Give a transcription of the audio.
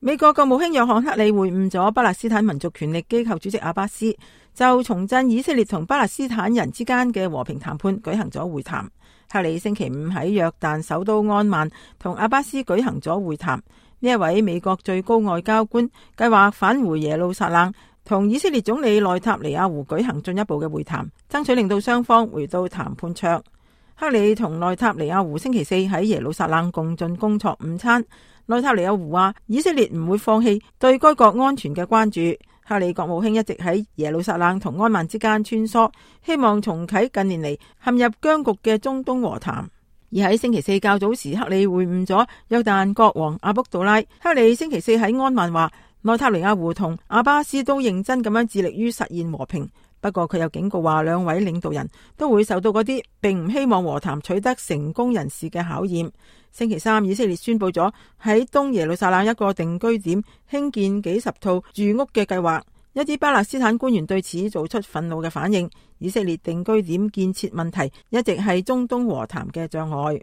美國國務卿約翰克里會晤咗巴勒斯坦民族權力機構主席阿巴斯，就重振以色列同巴勒斯坦人之間嘅和平談判舉行咗會談。克里星期五喺約旦首都安曼同阿巴斯舉行咗會談。呢一位美國最高外交官計劃返回耶路撒冷，同以色列總理內塔尼亞胡舉行進一步嘅會談，爭取令到雙方回到談判桌。克里同內塔尼亞胡星期四喺耶路撒冷共進工作午餐。內塔尼亞胡話以色列唔會放棄對該國安全嘅關注。克里國務卿一直喺耶路撒冷同安曼之間穿梭，希望重啟近年嚟陷入僵局嘅中東和談。而喺星期四較早時，克里會晤咗約旦國王阿卜杜拉。克里星期四喺安曼話，內塔尼亞胡同阿巴斯都認真咁樣致力於實現和平。不過佢又警告話，兩位領導人都會受到嗰啲並唔希望和談取得成功人士嘅考驗。星期三，以色列宣布咗喺東耶路撒冷一個定居點興建幾十套住屋嘅計劃。一啲巴勒斯坦官員對此做出憤怒嘅反應。以色列定居點建設問題一直係中東和談嘅障礙。